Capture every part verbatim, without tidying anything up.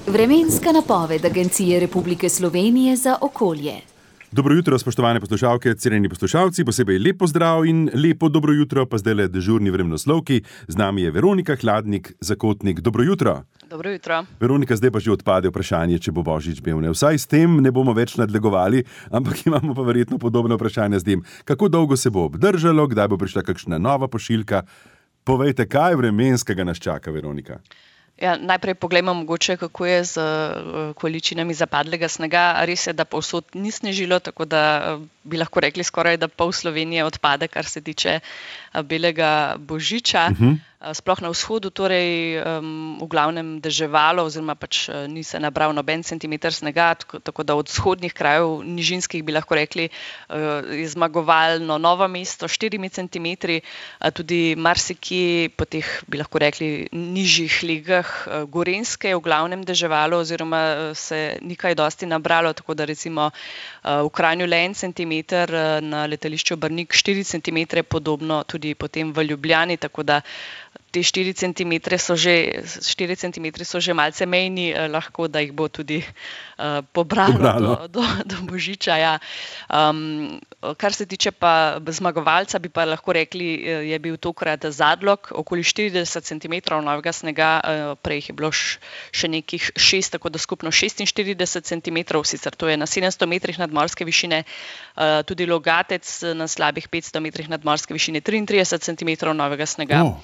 Vremenska napoved Agencije Republike Slovenije za okolje. Dobro jutro, spoštovane poslušalke, cenjeni poslušalci, posebej lep pozdrav in lepo dobro jutro, pa zdajle dežurni vremenoslovki. Z nami je Veronika Hladnik, zakotnik. Dobro jutro. Dobro jutro. Veronika, zdaj pa že odpade vprašanje, če bo Božič bil. Ne? Vsaj s tem ne bomo več nadlegovali, ampak imamo pa verjetno podobno vprašanje z tem. Kako dolgo se bo obdržalo, kdaj bo prišla kakšna nova pošiljka? Povejte, kaj vremenskega nas čaka, Veronika? Ja, najprej poglejmo mogoče, kako je z količinami zapadlega snega. Res je, da povsod ni snežilo, tako da bi lahko rekli skoraj, da pol Slovenije odpade, kar se tiče belega božiča. Uh-huh. Sploh na vzhodu, torej um, v glavnem deževalo, oziroma pač ni se nabral noben centimeter snega, tako, tako da od vzhodnih krajev, nižinskih bi lahko rekli, uh, je zmagovalno Novo mesto, štirimi centimetri, uh, tudi marsikje po teh, bi lahko rekli, nižjih legah uh, Gorenjske je v glavnem deževalo, oziroma uh, se ni kaj dosti nabralo, tako da recimo uh, v Kranju le en centimeter, uh, na letališču Brnik štiri centimetre, podobno tudi potem v Ljubljani, tako da te štiri centimetre so že, štiri centimetre so že malce mejni, eh, lahko da jih bo tudi eh, pobralo, pobralo. Do, do, do božiča. Ja. Um, kar se tiče pa zmagovalca, bi pa lahko rekli, je bil tokrat Zadlog, okoli štirideset centimetrov novega snega, eh, prej je bilo š, še nekih šest, tako da skupno šestinštirideset centimetrov, sicer to je na sedemsto metrih nadmorske višine, eh, tudi Logatec na slabih petsto metrih nadmorske višine, triintrideset centimetrov novega snega. Oh.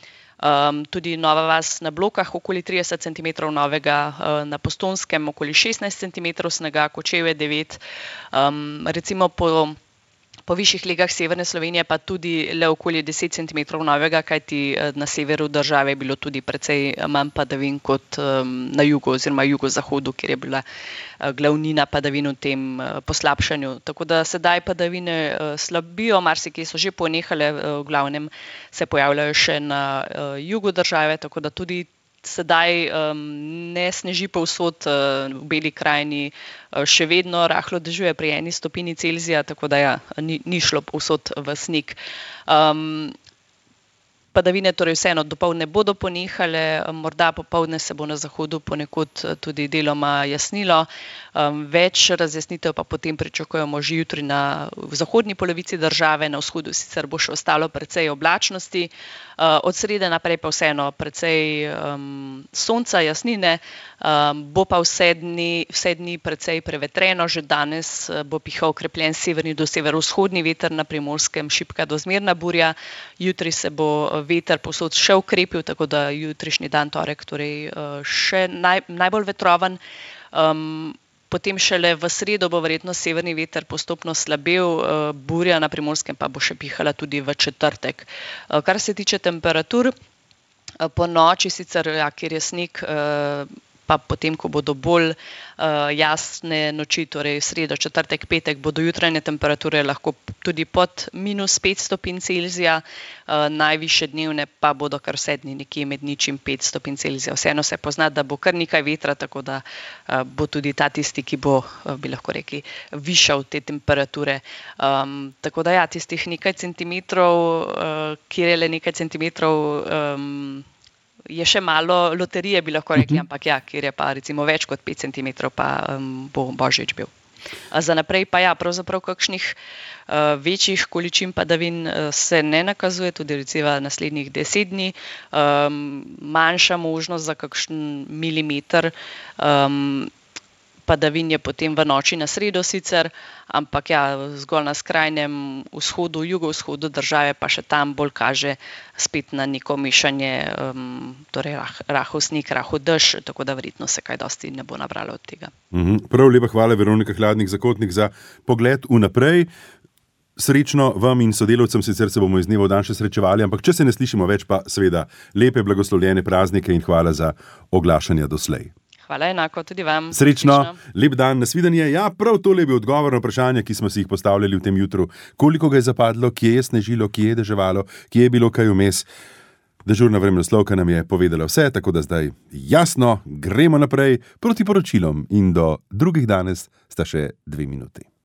Um, tudi Nova vas na Blokah, okoli trideset centimetrov novega, uh, na Postonskem okoli šestnajst centimetrov snega, Kočevje devet, um, recimo po, po višjih legah severne Slovenije pa tudi le okoli deset centimetrov novega, kajti uh, na severu države je bilo tudi precej manj padavin kot um, na jugu oziroma jugozahodu, kjer je bila uh, glavnina padavin v tem uh, poslabšanju. Tako da sedaj padavine uh, slabijo, marsikje so že ponehale, uh, v glavnem se pojavljajo še na uh, jugu države, tako da tudi sedaj um, ne sneži povsod, uh, v Beli krajini uh, še vedno rahlo dežuje pri eni stopinji Celzija, tako da ja, ni, ni šlo povsod v sneg. Um, Padavine torej vseeno dopoldne bodo ponehale, morda popoldne se bo na zahodu ponekod tudi deloma jasnilo. Um, več razjasnitev pa potem pričakujemo že jutri na v zahodni polovici države, na vzhodu sicer bo še ostalo precej oblačnosti. Uh, od srede naprej pa vseeno precej um, sonca, jasnine, um, bo pa vse dni, vse dni precej prevetreno, že danes bo pihal okrepljen severni do severovzhodni veter, na Primorskem šibka do zmerna burja, jutri se bo veter povsod še ukrepil, tako da jutrišnji dan, torek, torej še naj, najbolj vetrovan. Um, potem šele v sredo bo verjetno severni veter postopno slabel, uh, burja na Primorskem pa bo še pihala tudi v četrtek. Uh, kar se tiče temperatur, uh, po noči sicer, ja, kjer je sneg, uh, pa potem, ko bodo bolj uh, jasne noči, torej sredo, četrtek, petek, bodo jutranje temperature lahko tudi pod minus pet stopinj Celzija, uh, najvišje dnevne pa bodo kar vse dni nekje med nič in pet stopinj Celzija. Vseeno se pozna, da bo kar nekaj vetra, tako da uh, bo tudi ta tisti, ki bo, uh, bi lahko rekli, višal te temperature. Um, tako da ja, tistih nekaj centimetrov, uh, kjer je le nekaj centimetrov, um, je še malo loterije, bi lahko rekli, ampak ja, kjer je pa recimo več kot pet centimetrov, pa um, bo Božič bil. Za naprej pa ja, pravzaprav kakšnih uh, večjih količin padavin uh, se ne nakazuje, tudi recimo naslednjih deset dni, um, manjša možnost za kakšen milimeter, um, padavin je potem v noči na sredo sicer, ampak ja, zgolj na skrajnem vzhodu, jugovzhodu države pa še tam bolj kaže spet na neko mešanje, um, torej rah, rahel sneg, rahel dež, tako da verjetno se kaj dosti ne bo nabralo od tega. Mhm. Prav lepa hvala, Veronika Hladnik, zakotnik, za pogled vnaprej. Srečno vam in sodelavcem, sicer se bomo iz dneva v dan še srečevali, ampak če se ne slišimo več, pa seveda lepe, blagoslovljene praznike in hvala za oglašanja doslej. Hvala, enako tudi vam. Srečno, Srečno. Lep dan, nasvidenje. Ja, prav tole je bil odgovor na vprašanja, ki smo si jih postavljali v tem jutru. Koliko ga je zapadlo, kje je snežilo, kje je deževalo, kje je bilo kaj vmes. Dežurna vremenoslovka nam je povedala vse, tako da zdaj jasno, gremo naprej proti poročilom in do drugih danes sta še dve minuti.